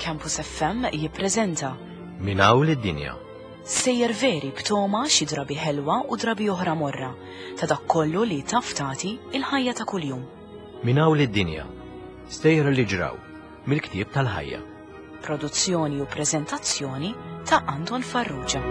Campus FM jippreżenta Minn hawn lid-dinja. Sejjer veri b'toma xi drabi ħelwa u drabi oħra morra ta' dak kollu li taf tagħti il-ħajja ta' kuljum. Minn hawn lid-dinja. Stejjer li ġraw mill-ktieb tal-ħajja. Produzzjoni u preżentazzjoni ta' Anton Farrugia.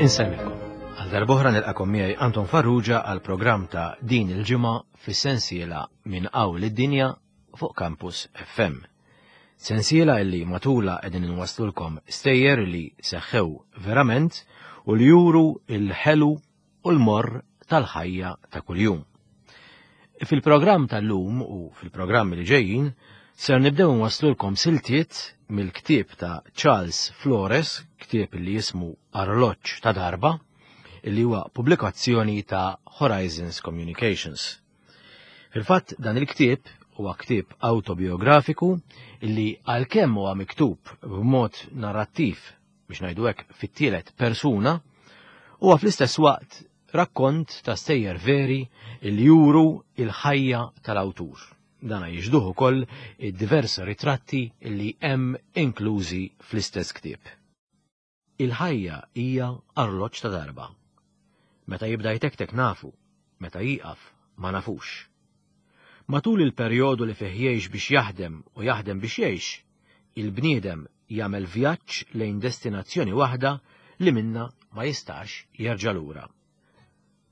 Insellmilkom. Għal darbohra nilqakom miegħi Anton Farrugia għal programm ta' din il-ġimgħa fis-sensiela minn hawn lid-dinja fuq Campus FM. Sensiela illi matula qegħdin inwasslulkom stejjer li seħħew verament u li juru il-ħelu u l-morr tal-ħajja ta' kuljum. Fil-programm tal-lum u fil-programmi li ġejjin ser nibdew nwasslulkom siltiet mill-ktieb ta' Charles Flores, ktieb li jismu Arloġġ ta' darba, illi huwa pubblikazzjoni ta' Horizons Communications. Fil-fatt dan il-ktieb huwa ktieb awtobiografiku illi għalkemm huwa miktub b'mod narrattiv biex ngħidu hekk fit-tielet persuna, huwa fl-istess waqt rakkont ta' stejjer veri illi juru il-ħajja tal-awtur. Dana jixduh ukoll id-diversi ritratti illi hemm inklużi fl-istess ktieb. Il-ħajja hija arloġġ ta' darba. Meta jibda jtektek nafu, meta jieqaf ma nafux. Matul il-perjodu li fih jgħix biex jaħdem u jaħdem biex jgħix, il-bniedem jagħmel vjaġġ lejn destinazzjoni waħda li minnha ma jistax jerġa' lura.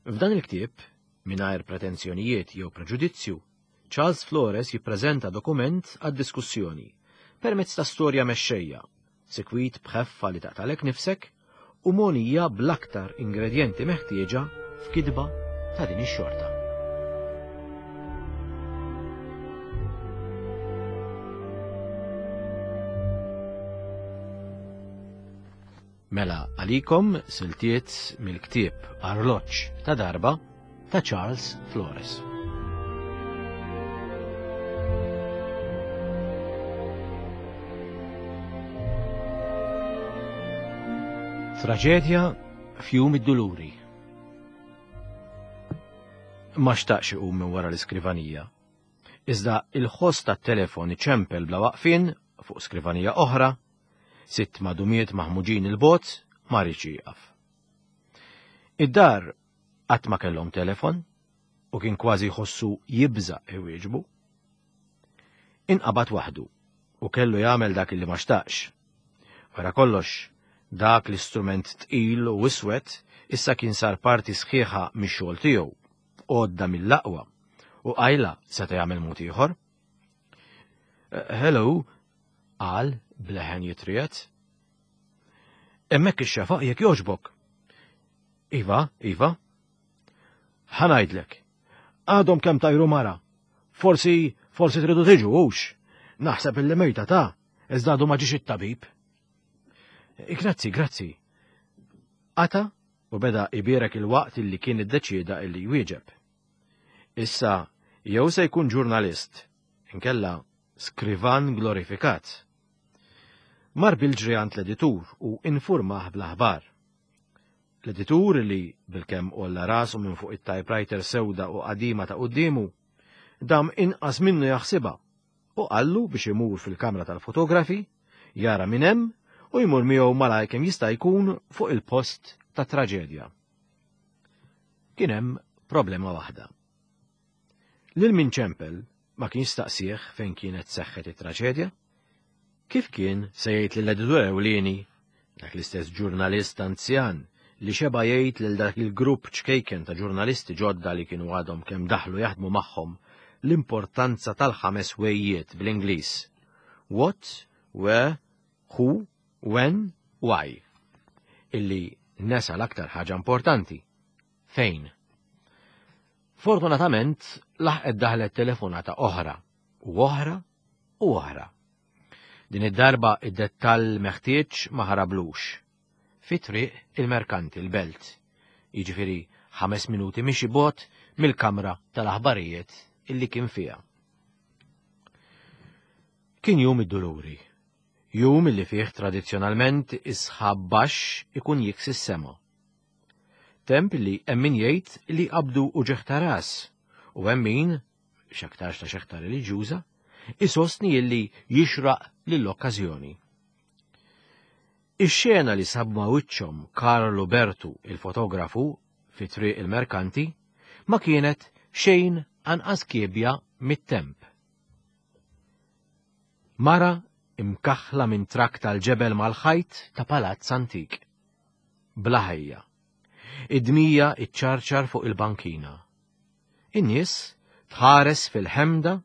F'dan il-ktieb, mingħajr pretensjonijiet jew preġudizzju, Charles Flores jippreżenta dokument għad-diskussjoni permezz ta' storja mexxejja sikwit b'ħeffa li taqtalek nifsek u mogħnija bl-aktar ingredjenti meħtieġa f'kitba ta' din ix-xorta. Mela għalikom siltiet mill-ktieb Arloġġ ta' darba ta' Charles Flores. Traġedja f'jum id-duluri. Ma xtaqx iqum minn wara l-iskrivanija. Iżda il-ħoss tat-telefon iċempel bla waqfien fuq skrivanija oħra, sitt madumiet maħmuġin il-bot ma rridx jieqaf. Id-dar Qatt ma kellhom telefon u kien kważi jħossu jibża' iwieġbu. Inqabad waħdu u kellu jagħmel dak li ma xtaqx. Wara kollox, dak l-istrument tqil u iswed issa kien sar parti sħiħa mix-xogħol tiegħu, għodda mill-aqwa, u qajla seta' jagħmel mod ieħor. Hello, qal b'leħen jitriegħed. Hemmhekk ix-xefaq jekk jogħġbok. Iva, iva. Ħa ngħidlek. Għadhom kemm tajru mara. Forsi, forsi tridu tiġu, hux. Naħseb illi mejta ta' iżda għadu ma ġiex it-tabib. Grazzi, grazzi. Qata u beda ibierek il-waqt illi kien iddeċieda illi jwieġeb. Issa jew se jkun ġurnalist, inkella skrivan glorifikat. Mar bil-ġri għand l-editur u infurmah bl-aħbar. L-editur li, bilkemm għolla rasu minn fuq it-typewriter sewda u qadima ta' quddiemu, dam inqas minnu jaħsibha u qallu biex imur fil-kamra tal-fotografi, jara min hemm u jmur miegħu malajr kemm jista' jkun fuq il-post tat-traġedja. Kien hemm problema waħda. Lil min ċempel ma kienx staqsieh fejn kienet seħħet it-traġedja. Kif kien se jgħid lill-editur ewlieni, dak l-istess ġurnalist anzjan li xeba' jgħid lil dak il-grupp ċkejken ta' ġurnalisti ġodda li kienu għadhom kemm daħlu jaħdmu magħhom l-importanza tal-ħames wejjiet bl-Ingliż. What, where, who, when, why. Illi nesa l-aktar ħaġa importanti. Fejn? Fortunatament laħqet daħlet telefonata oħra u oħra u oħra. Din id-darba id-dettall meħtieġ ma ħarablux. Fi triq il-merkanti l-belt, jiġifieri ħames minuti mixi bogħod mill-kamra tal-aħbarijiet illi kien fiha. Kien jum id-duluri. Jum li fih tradizzjonalment is-sħab baxx ikun jiksi s-sema. Temp li hemm min jgħid li qabdu uġigħ ta' ras u hemm min, x'aktarx ta' xeħta reliġjuża, isostni illi jixraq lill-okkażjoni. Ix-xena li sab ma' wiċċhom Karlu Bertu il-fotografu fi Triq il-Merkanti ma kienet xejn anqas kiebja mit-temp. Mara imkaħħla minn trakk tal-ġebel mal-ħajt ta' palazz antik. Bla ħajja. Id-dmija iċċarċar fuq il-bankina. In-nies tħares fil-ħemda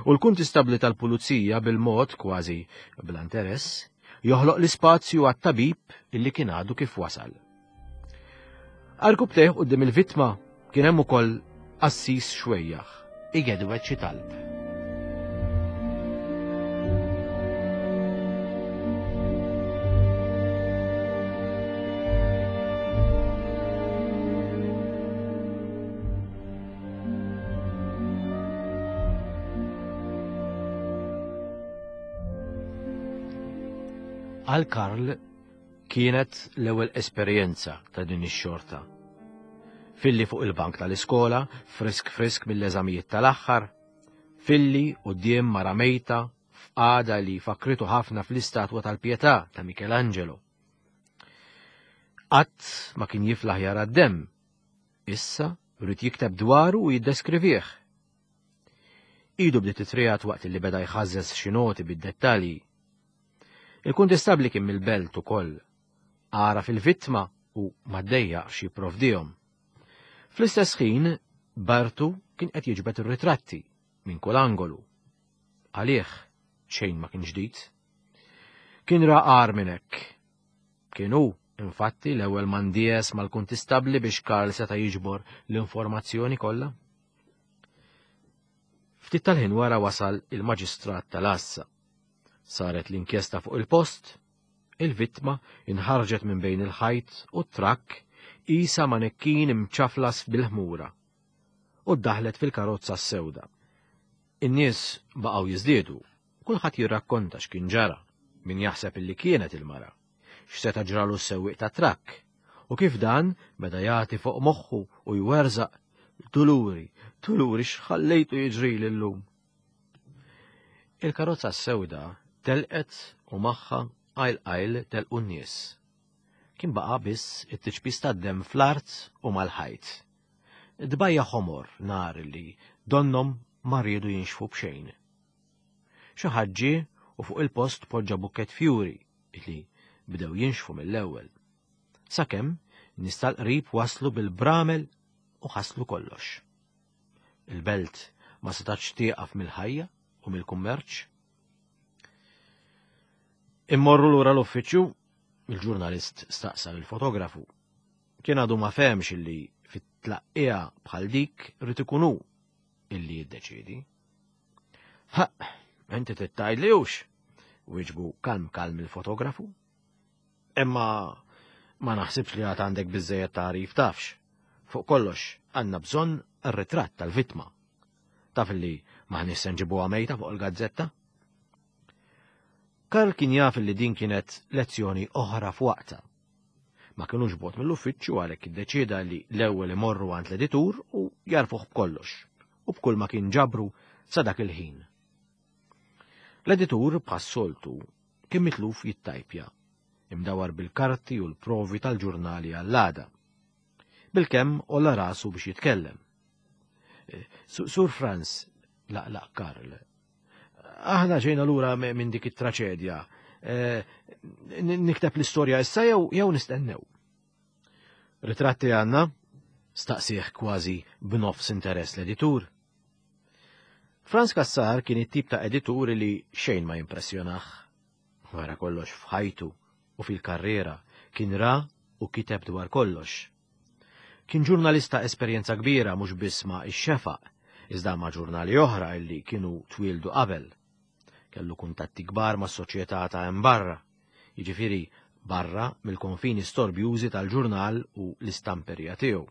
u l-kuntistabbli tal-pulizija bil-mod kważi bla interess joħloq l-ispazju għat-tabib illi kien għadu kif wasal. Arkub teħ quddiem il-vittma kien hemm ukoll qassis xwejjaħ igedwed xi talb. Għal Karl kienet l-ewwel esperjenza ta' din ix-xorta. Filli fuq il-bank tal-iskola, frisk frisk mill-eżamijiet tal-aħħar, filli quddiem mara mejta f'qagħda li fakritu ħafna fl-istatwa tal-Pietà ta' Michelangelo. Qatt ma kien jiflaħ jara d-demm, Issa ried jikteb dwaru u jiddeskrivih. Idu bdiet titriegħed waqt li beda jħażżeż xi noti bid-dettalji. Il-kuntistabbli kien mill-belt ukoll. Għaraf il-vittma u ma ddejjaqx jipprovdihom. Fl-istess ħin, Bartu kien qed jiġbed ir-ritratti minn kull angolu. Għalih xejn ma kien ġdid. Kien ra agħar minn hekk. Kien hu, infatti, l-ewwel ma ndies mal-kuntistabbli biex Karl seta' jiġbor l-informazzjoni kollha. Ftit tal-ħin wara wasal il-maġistrat tal-għassa. Saret l-inkjesta fuq il-post, il-vittma inħarġet minn bejn il-ħajt u t-trakk qisha manekkin imċaflas bil-ħmura u ddaħlet fil-karozza s-sewda. In-nies baqgħu jiżdiedu Kulħadd jirrakkonta x'kien ġara, min jaħseb illi kienet il-mara, x'seta' ġralu s-sewwieq tat-trakk, u kif dan beda jagħti fuq moħħu u jwerżaq, Duluri, duluri x'ħallejtu jiġrili llum. Il-karozza s-sewda telqet u magħha qajl qajl telqu n-nies. Kien baqa' biss it-tiċpis tad-demm fl-art u mal-ħajt. Tbajja' ħomor nar li donnhom ma riedu jinxfu b'xejn. Xi ħadd ġie u fuq il-post poġġa bukkett fjuri li bdew jinxfu mill-ewwel. Sakemm nies tal-qrib waslu bil-bramel u ħaslu kollox. Il-belt ma setgħetx tieqaf mill-ħajja u mill-kummerċ. Immorru lura l-uffiċċju, il-ġurnalist staqsa lill-fotografu. Kien għadu ma fehmx illi fit-tlaqqija bħal dik rrid ikun hu illi jiddeċiedi. Ha, inti tittajli hux, wieġbu kalm kalm il-fotografu. Imma ma naħsibx li għad għandek biżejjed tagħrif tafx. Fuq kollox għandna bżonn ir-ritratt tal-vittma. Taf li maħniex se nġibuha mejta fuq il-gazzetta? Karl kien jaf li din kienet lezzjoni oħra f'waqta. Ma kinux bogħod mill-uffiċċju għalhekk iddeċieda li l-ewwel imorru għand l-editur u jarfuh b'kollox u b'kull ma kien ġabru sa dak il-ħin. L-editur bħas-soltu kien mitluf jittajpja, imdawar bil-karti u l-provi tal-ġurnali għall-għada. Bilkemm għolla rasu biex jitkellem. Eh, Sur Franz, laqlaq Karl, Aħna ġejna lura minn dik it-traċedja. Eh, nikteb l-istorja issa jew jew nistennew. Ritratti għandna? Staqsih kważi b'nofs interess l-editur. Franz Kassar kien it-tip ta' editur li xejn ma jimpressjonah. Wara kollox f'ħajtu u fil-karriera kien ra u kiteb dwar kollox. Kien ġurnalist ta' esperjenza kbira mhux biss ma' Ix-Xefaq, iżda ma' ġurnali oħra illi kienu twieldu qabel. Kellu kuntatti kbar mas-soċjetà ta' hemm barra, jiġifieri barra mill-konfini storbjużi tal-ġurnal u l-istamperija tiegħu.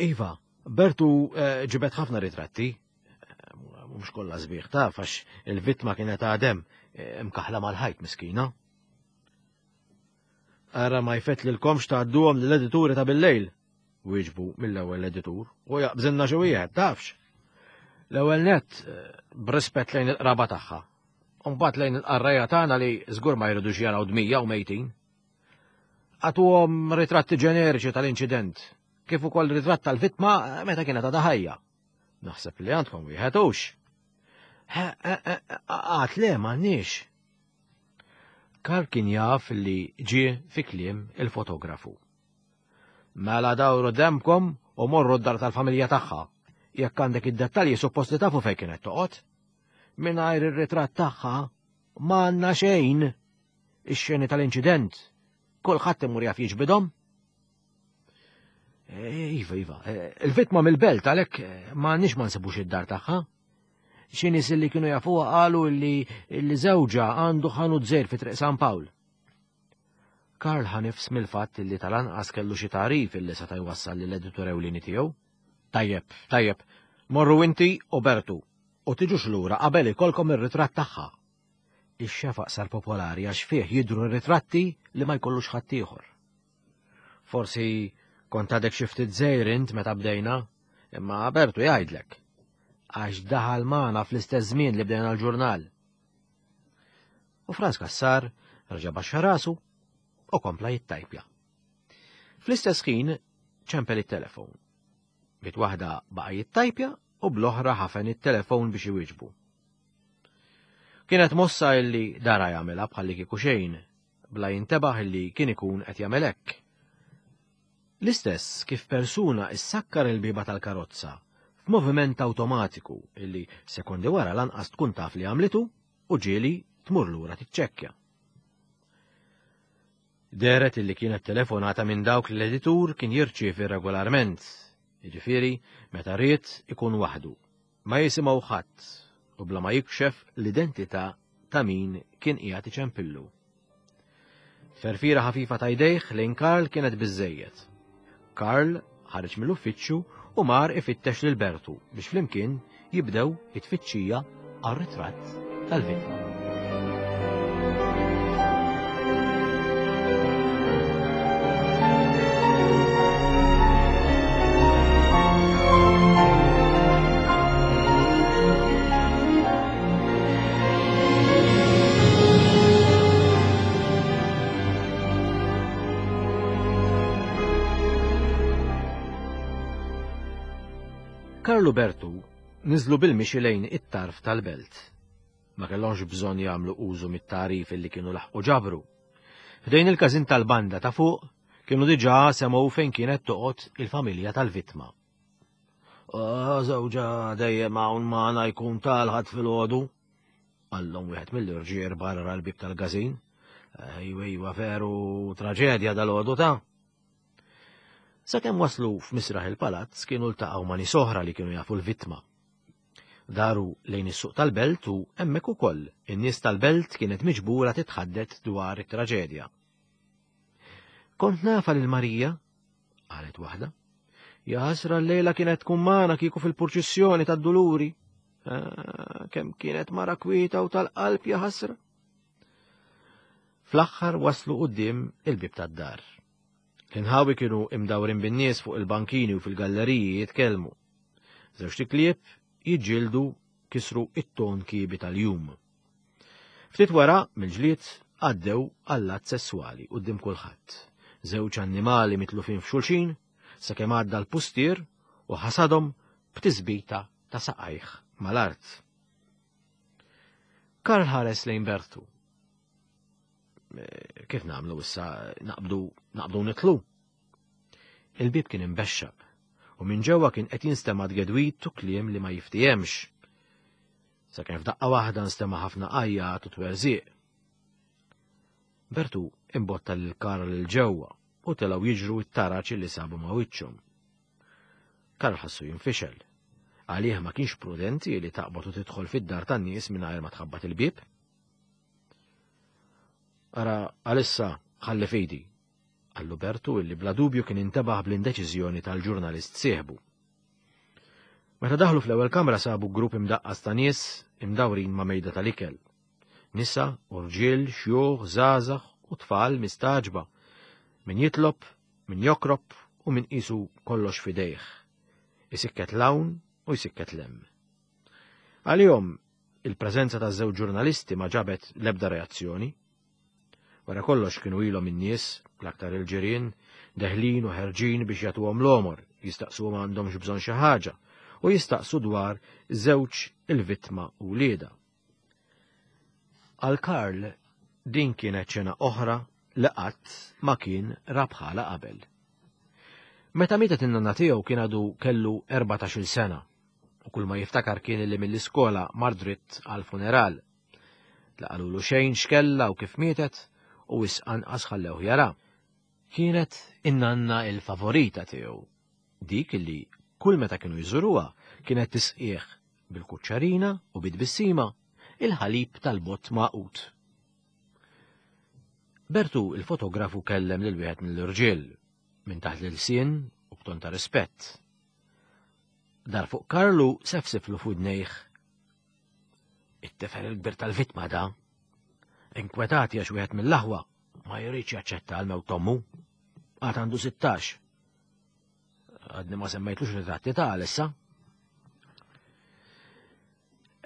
Iva, Bertu eh, ġibed ħafna ritratti. Mhux kollha sbieħ taf għax il-vittma kienet għadem eh, imkaħla mal-ħajt miskina. Ara ma jfettlilkomx tgħadduhom lill-edituri ta' bil-lejl, wieġbu mill-ewwel l-editur, u jaqbżilna xi wieħed, tafx. L-ewwel nett eh, b'rispett lejn il-qraba tagħha. U mbagħad lejn il-qarrejja tagħna li żgur ma jridux jaraw dmija u mejtin. Għatuhom ritratti ġeneriċi tal-inċident, kif ukoll ritratt tal-vittma meta kienet għadha ħajja. Naħseb li għandkom wieħed hux. Għat le m'għandniex. Karl kien jaf li ġie fi kliem il-fotografu. Mela dawru demkom u morru d-dar tal-familja tagħha. Jekk għandek id-dettalji suppost li tafu fejn kienet toqgħod. Mingħajr ir-ritratt tagħha m'għandna xejn. Ix-xeni tal-inċident kulħadd imur jaf jiġbidhom. Eh, iva, iva, eh, il-vittma mill-belt għalhekk eh, m'għandniex ma nsibux id-dar tagħha. Xi nies li kienu jafuha qalu li li żewġha għandu ħanut żejr fi Triq San Pawl. Karl ħanifs mill-fatt li tal-anqas kellu xi tagħrif illi seta' jwassal lill-editur ewlieni tiegħu. Tajjeb, tajjeb, morru inti u Bertu u tiġux lura qabel ikolkom ir-ritratt tagħha. Ix-xefaq sar popolari għax fih jidhru ritratti li ma jkollux ħaddieħor. Forsi kont għadek xi ftit żgħir int meta bdejna, imma Bertu jgħidlek. Għax daħal magħna fl-istess żmien li bdejna l-ġurnal. U Franz Kassar reġa' baxxa rasu u kompla jittajpja. Fl-istess ħin ċempel it-telefon. Bit waħda baqa' jittajpja u bl-oħra ħafen it-telefon biex iwieġbu. Kienet mossa illi dara jagħmilha bħalli kieku xejn, bla jintebaħ illi kien ikun qed jagħmel hekk. L-istess kif persuna issakkar il-bieba tal-karozza f'moviment awtomatiku illi sekondi wara lanqas tkun taf li għamlitu u ġieli tmur lura tiċċekkja. Dehret illi kienet telefonata minn dawk li l-editur kien jirċievi regolarment, jiġifieri meta ried ikun waħdu. Ma jisimgħu ħadd u bla ma jikxef l-identità ta' min kien qiegħed iċempillu. Ferfira ħafifa ta' jdejh lejn Karl kienet biżżejjed. Karl ħareġ mill-uffiċċju u mar ifittex lil Bertu biex flimkien jibdew it-tfittxija għar-ritratt tal-vittma. Karlu Bertu niżlu bil-mixi lejn it-tarf tal-belt. Ma kellhomx bżonn jagħmlu użu mit-tagħrif illi kienu laħqu ġabru. Ħdejn il-każin tal-banda ta' fuq kienu diġà semgħu fejn kienet toqgħod il-familja tal-vittma. Ah, żewġa dejjem hawn magħna jkun tal-ħadd filgħodu, qallhom wieħed mill-irġier barra l-bib tal-każin. Eh, iwa, iwa, veru traġedja dal-għodu ta' Sakemm waslu f'misraħ il-palazz kienu ltaqgħu ma' nies oħra li kienu jafu l-vittma. Daru lejn is-suq tal-belt u hemmhekk ukoll in-nies tal-belt kienet miġbura titħaddet dwar it-traġedja. Kont nafa lil Marija, qalet waħda. Ja ħasra l-lejla kienet tkun magħna kieku fil-purċissjoni tad-duluri. Ah, kemm kienet mara kwieta u tal-qalb ja ħasra. Fl-aħħar waslu quddiem il-bib tad-dar. L-inħawi kienu imdawrin bin-nies fuq il-bankini u fil-galleriji jitkellmu. Żewġt iklieb jiġġieldu kisru it-ton kiebi tal-jum. Ftit wara, mill-ġlied, għaddew għall-att sesswali quddiem kulħadd. Żewġ annimali mitlufin f'xulxin, sakemm għadda l-pustier u ħasadhom b'tisbita ta' saqajh mal-art. Karl ħares lejn Bertu. Eh, kif nagħmlu issa naqbdu naqbdu nitlu? Il-bib kien imbexxaq u minn ġewwa kien qed jinstema' tgedwit u kliem li ma jiftihemx. Sakemm f'daqqa waħda nstema' ħafna għajjat u twerżiq. Bertu imbotta lil Karl il ġewwa u telgħu jiġru t-taraġ li sabu ma' wiċċhom. Karl ħassu jinfixel. Għalih ma kienx prudenti li taqbad u tidħol fid-dar tan-nies mingħajr ma tħabbat il-bieb. Ara, għalissa ħalli fidi, qallu Bertu illi bla dubju kien intebaħ bl-indeċiżjoni tal-ġurnalist sieħbu. Meta daħlu fl-ewwel kamra sabu grupp imdaqqas ta' nies imdawrin ma' mejda tal-ikel. Nisa, urġiel, xjuħ, żgħażagħ u tfal mistagħġba. Min jitlob, min jokrob u min qisu kollox f'idejh. Isikket 'l hawn u jsikket 'l hemm. Għalihom, il-preżenza taż-żewġ ġurnalisti ma ġabet l-ebda reazzjoni. Wara kollox kienu ilhom in-nies, l-aktar il-ġirien, deħlin u ħerġin biex jagħtuhom l-għomor, jistaqsuhom għandhomx bżonn xi ħaġa u jistaqsu dwar żewġ il-vittma u wliedha. Għal Karl din kienet xena oħra li qatt ma kien ra bħala qabel. Meta mietet in-nanna tiegħu kien għadu kellu 14-il sena u kull ma jiftakar kien li mill-iskola mar dritt għall-funeral. La qalulu xejn x'kellha u kif mietet u wisq anqas ħallewh jara. Kienet in-nanna il-favorita tiegħu, dik li kull meta kienu jżuruha kienet tisqih bil-kuċċarina u bit-tbissima il-ħalib tal-bott magħqud. Bertu il-fotografu kellem lil wieħed mill-irġiel minn taħt l-ilsien u b'ton ta' rispett. Dar fuq Karlu sefsiflu f'widnejh It-tifel il-kbir tal-vittma da. Inkwetati għax wieħed mill-aħwa ma jridx jaċċetta għal mewt ommu. Għad għandu 16. Għadni ma semmejtlux ritratti ta' għalissa.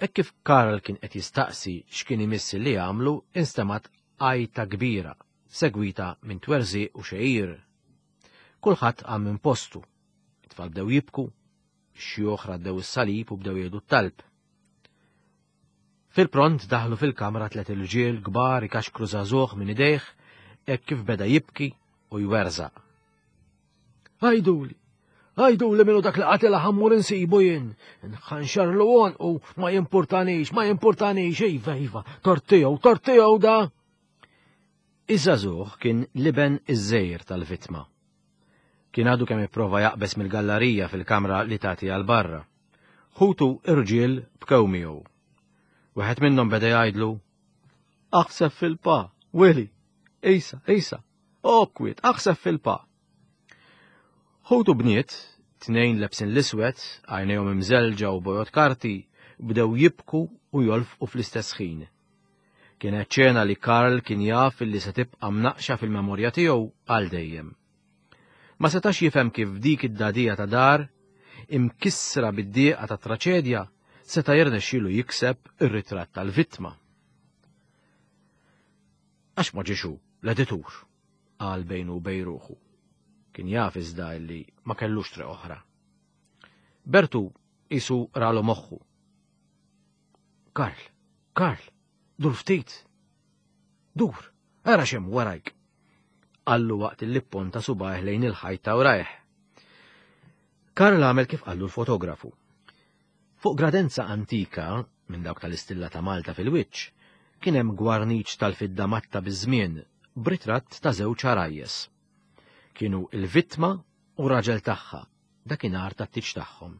Hekk kif Karl kien qed jistaqsi x'kien imissi li jagħmlu, instemat għajta kbira, segwita minn twerżi u xejir. Kulħadd qam minn postu. It-tfal bdew jibku, Ix-xjuħ raddew is-salib u bdew jgħidu t-talb. Fil-pront daħlu fil-kamra tlet irġiel kbar ikaxkru żagħżugħ minn idejh hekk kif beda jibki u jwerżaq. Għajduli, għajduli minnu dak li qatilha ħammur insibu jien. Nħanxarlu u ma jimpurtanix, ma jimpurtanix, iva, iva, tort tiegħu, tort tiegħu da. Iż-żagħżugħ kien l-iben iż-żgħir tal-vittma. Kien għadu kemm ipprova jaqbeż mill-gallarija fil-kamra li tagħti għal barra. Ħutu irġiel bkew miegħu. Wieħed minnhom beda jgħidlu, Aħseb fil-pa, Willy, isa, isa, okwiet, aħseb fil-pa. Ħutu bniet, tnejn lebsin l-iswed, għajnejhom imżelġa u bojod karti, bdew jibku u jolfqu fl-istess ħin. Kienet ċena li Karl kien jaf illi se tibqa' mnaqqxa fil-memorja tiegħu għal dejjem. Ma setax jifhem kif dik id-dagħdigħa ta' dar, imkissra bid-dieqa tat-traċedja, seta' jirnexxielu jikseb ir-ritratt tal-vittma. Għax ma ġiex hu, l-editur, qal bejnu u bejn ruħu. Kien jaf iżda illi ma kellux triq oħra. Bertu qisu ralu moħħu. Karl, Karl, dur ftit. Dur, ara x'hemm warajk. Qallu waqt li pponta subajh lejn il-ħajt ta' warajh. Karl għamel kif qallu l-fotografu. Fuq gradenza antika, minn dawk tal-istilla ta' Malta fil-wiċċ, kien hemm gwarniċ tal-fidda matta biż-żmien b'ritratt ta' żewġ għarajjes. Kienu il-vittma u raġel tagħha dakinhar tat-tieġ tagħhom.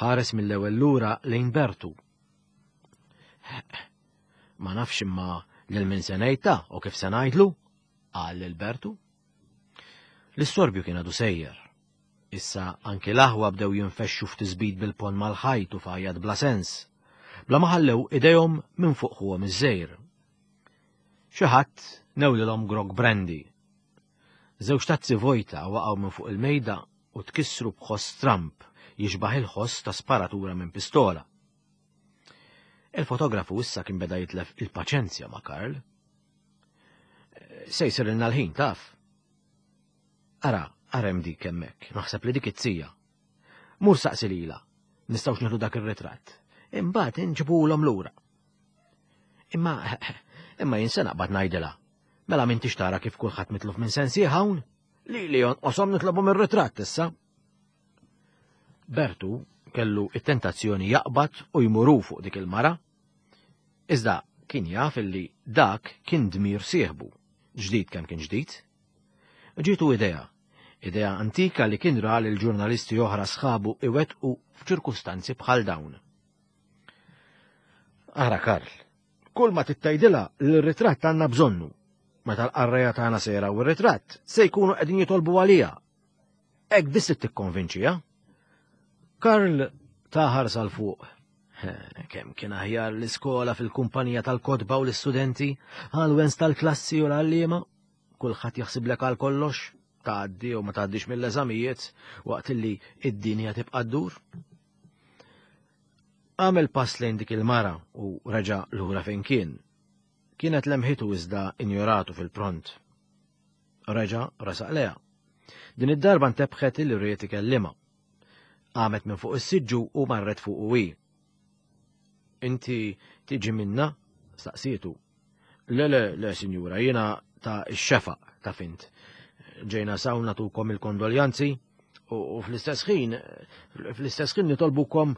Ħares mill-ewwel lura lejn Bertu. Ma nafx imma lil min se ngħidta u kif se ngħidlu, qal lil Bertu. L-istorbju kien għadu sejjer. Issa anki l-aħwa bdew jinfexxu f'tisbit bil-pon mal-ħajt u f'għajat bla sens, bla ma ħallew idejhom minn fuq ħuhom iż-żejr. Xi ħadd newlilhom grog brandy. Żewġ tazzi vojta waqgħu minn fuq il-mejda u tkissru b'ħoss stramb jixbah il-ħoss ta' sparatura minn pistola. Il-fotografu issa kien beda jitlef il-paċenzja ma' Karl. Se jsirilna l-ħin taf. Ara, ara hemm dik hemmhekk, naħseb li dik it-tija. Mur saqsi lilha, nistgħux nieħdu dak ir-ritratt. Imbagħad inġibulhom lura. Imma imma jien se naqbad ngħidilha. Mela m'intix tara kif kulħadd mitluf minn sensih hawn? Li li jonqoshom nitlobhom ir-ritratt issa. Bertu kellu it-tentazzjoni jaqbad u jmuru fuq dik il-mara. Iżda kien jaf illi dak kien dmir sieħbu, ġdid kemm kien ġdid. Ġietu idea, idea antika li kien ra lil ġurnalisti oħra sħabu iwettqu f'ċirkustanzi bħal dawn. Ara Karl, Kull ma tittajdilha li r-ritratt għandna bżonnu. Meta l-qarrejja tagħna se jaraw ir-ritratt, se jkunu qegħdin jitolbu għaliha. Hekk biss tikkonvinċiha. Karl ta ħarsa 'l fuq. Kemm kien aħjar l-iskola fil-kumpanija tal-kotba u l-istudenti, għal-wens tal-klassi u l-għalliema. Kulħadd jaħsiblek għal kollox, tgħaddi u ma tgħaddix mill-eżamijiet waqt li id-dinja tibqa' ddur. Għamel pass lejn dik il-mara u reġa' lura fejn kien. Kienet lemħitu iżda injoratu fil-pront. Reġa' resaq leha. Din id-darba ntebħet li ried ikellimha. Qamet minn fuq is-siġġu u marret fuqu hi. Inti tiġi minna? Staqsietu. Le, le, le, sinjura, jiena ta' x-xefaq ta' fint. Ġejna sawn natukom il-kondoljanzi u fl-istess ħin, fl-istess ħin nitolbukom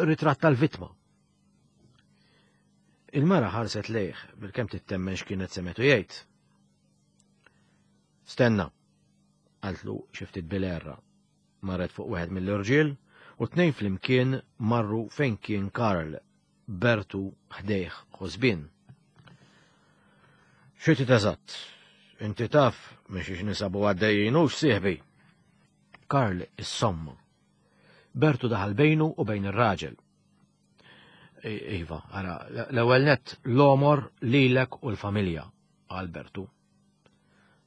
ritratt tal-vittma. Il-mara ħarset lejh bil-kemm tittemmen x'kienet semetu jgħid. Stenna, qaltlu xi ftit bil-għerra. Marret fuq wieħed mill-irġiel u t-tnejn flimkien marru fejn kien Karl, Bertu ħdejh ħosbien. Xi trid eżatt? Inti taf minn xiex nisabu għaddejjin hux sieħbi? Karl issomma. Bertu daħal bejnu u bejn ir-raġel. Iva, ara, l-ewwel nett l-omor lilek u l-familja, qal Bertu.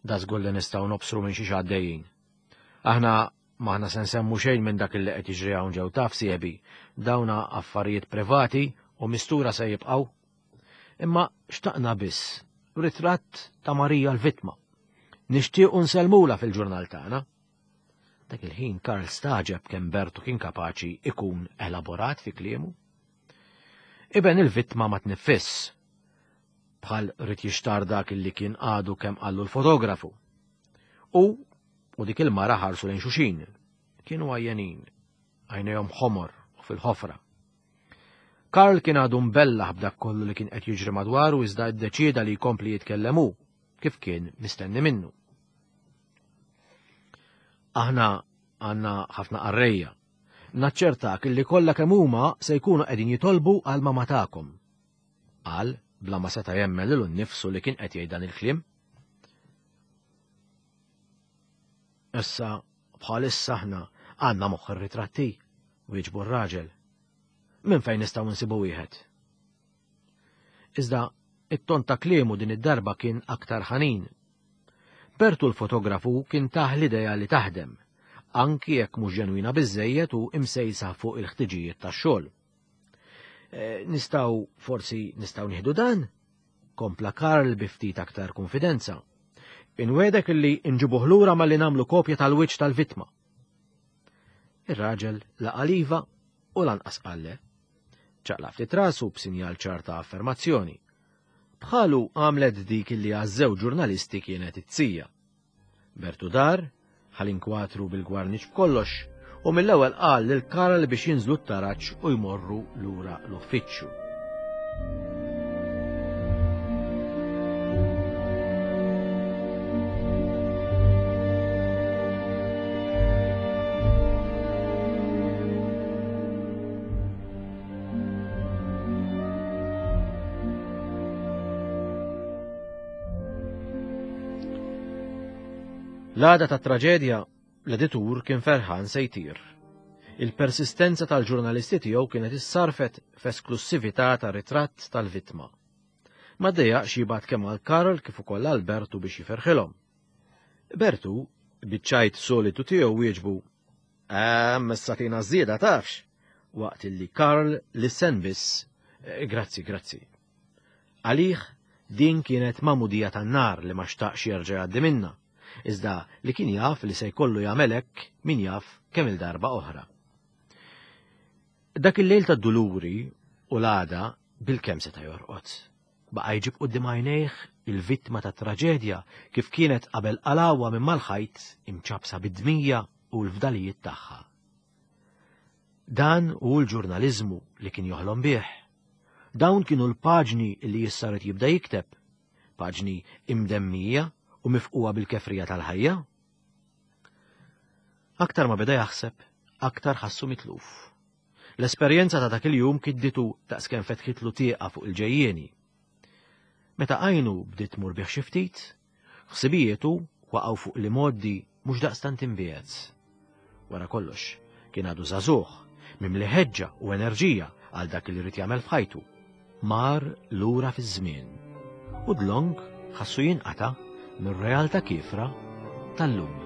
Da żgur li nistgħu nobsru minn xiex għaddejjin. Aħna m'aħna se nsemmu xejn minn dak li qed jiġri hawn ġew taf sieħbi, dawna affarijiet privati u mistura se jibqgħu. Imma xtaqna biss ritratt ta' Marija l-vittma. Nixtiequ nsellmula fil-ġurnal tagħna. Dak il-ħin Karl staġeb kemm Bertu kien kapaċi ikun elaborat fi kliemu. Iben il-vittma ma tniffiss. Bħal rid jixtar dak li kien għadu kemm qallu l-fotografu. U u dik il-mara ħarsu lejn xuxin. Kienu għajjenin, għajnejhom ħomor u fil-ħofra. Karl kien għadu mbellaħ b'dak kollu li kien qed jiġri madwaru iżda ddeċieda li jkompli jitkellem hu, kif kien mistenni minnu. Aħna għandna ħafna qarrejja. Naċċertak li kollha kemm huma se jkunu qegħdin jitolbu għal mama tagħkom. Qal bla ma seta' jemmen lilu nnifsu li kien qed jgħid dan il-kliem. Issa bħalissa aħna għandna moħħ ir-ritratti, wieġbu r-raġel. Minn fejn nistgħu nsibu wieħed? Iżda it-ton ta' kliemu din id-darba kien aktar ħanin. Bertu l-fotografu kien tah l-idea li taħdem, anki jekk mhux ġenwina biżejjed u imsejsa fuq il-ħtiġijiet tax-xogħol. Eh, nistgħu forsi nistgħu nieħdu dan? Kompla Karl bi ftit aktar konfidenza. Inwedek illi nġibuh lura malli nagħmlu kopja tal-wiċċ tal-vittma. Ir-raġel laqa' l-iva u lanqas qal le. Ċaqlaq ftit rasu b'sinjal ċar ta' affermazzjoni. Bħalu għamlet dik illi għaż-żewġ ġurnalisti kienet it-tija. Bertu dar, ħa l-inkwatru bil-gwarniċ b'kollox, u mill-ewwel qal lil Karl biex jinżlu t-taraġ u jmorru lura l-uffiċċju. L-għada tat-traġedja, l-editur kien ferħan se jtir. Il-persistenza tal-ġurnalisti tiegħu kienet issarfet f'esklussività ta' ritratt tal-vittma. Ma ddejjaqx jibgħat kemm għal Karl kif ukoll għal Bertu biex jiferħilhom. Bertu, biċ-ċajt solitu tiegħu wieġbu, Ehm, issa tina żieda tafx! Waqt illi Karl lissen biss, eh, grazzi, grazzi. Għalih din kienet magħmudija tan-nar li ma xtaqx jerġa' jgħaddi minnha, iżda li kien jaf li se jkollu jagħmel hekk min jaf kemm-il darba oħra. Dak il-lejl tad-duluri u l-għada bilkemm seta' jorqod. Baqa' jġib quddiem għajnejh il-vittma tat-traġedja kif kienet qabel qalgħuha minn mal-ħajt imċappsa bid-dmija u l-fdalijiet tagħha. Dan hu l-ġurnaliżmu li kien joħlom bih. Dawn kienu l-paġni li issa rid jibda jikteb, paġni imdemmija u mifqugħa bil-kefrija tal-ħajja. Aktar ma beda jaħseb, aktar ħassu mitluf. L-esperjenza ta' dak il-jum kidditu daqskemm fetħitlu tieqa fuq il-ġejjieni. Meta għajnu bdiet tmur bih xi ftit, ħsibijietu waqgħu fuq l-imgħoddi mhux daqstant imbiegħed. Wara kollox, Kien għadu żagħżugħ, mimli ħeġġa u enerġija għal dak li jrid jagħmel f'ħajtu. Mar lura fiż-żmien u dlonk ħassu jinqata' mir-realtà kiefra tal-lum.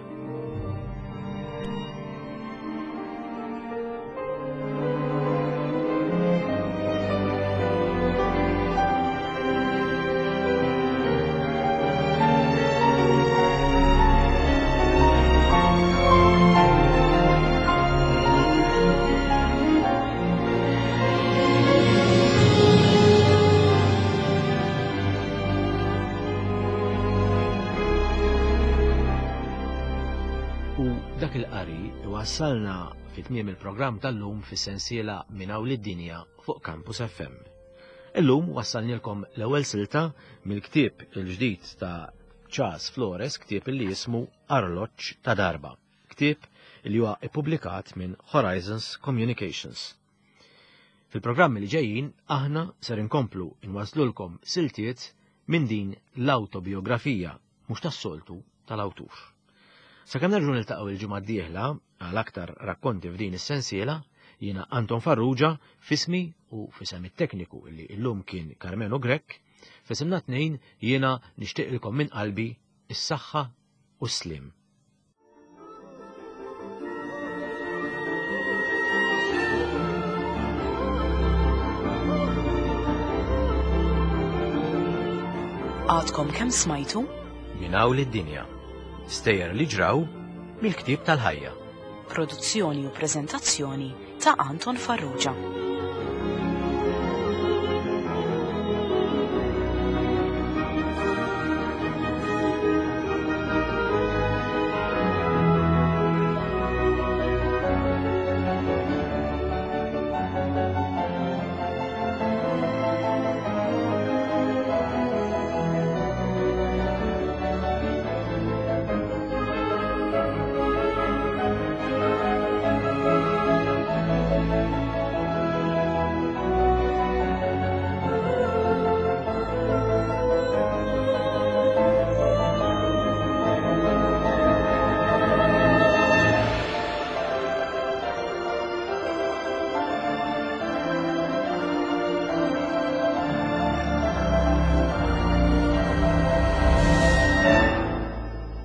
U dak il-qari iwassalna fi tmiem il-programm tal-lum fis-sensiela Minn hawn lid-dinja fuq Campus FM. Illum wassalnilkom l-ewwel silta mill-ktieb il-ġdid ta' Charles Flores, ktieb li jismu Arloġġ ta' Darba, ktieb li huwa ippubblikat minn Horizons Communications. Fil-programmi li ġejjin aħna ser inkomplu inwaslulkom siltiet minn din l-awtobiografija mhux tas-soltu tal-awtur. Sakemm nerġgħu niltaqgħu il-ġimgħa d-dieħla għal aktar rakkonti f'din is-sensiela, jiena Anton Farrugia fismi u fisem it-tekniku li llum kien Carmelo Grech, fisimna tnejn jiena nixtieqilkom minn qalbi is-saħħa u s-sliem. Għadkom kemm smajtu? Minn hawn lid-dinja. Stejjer li ġraw mill-ktieb tal-ħajja. Produzzjoni u preżentazzjoni ta' Anton Farrugia.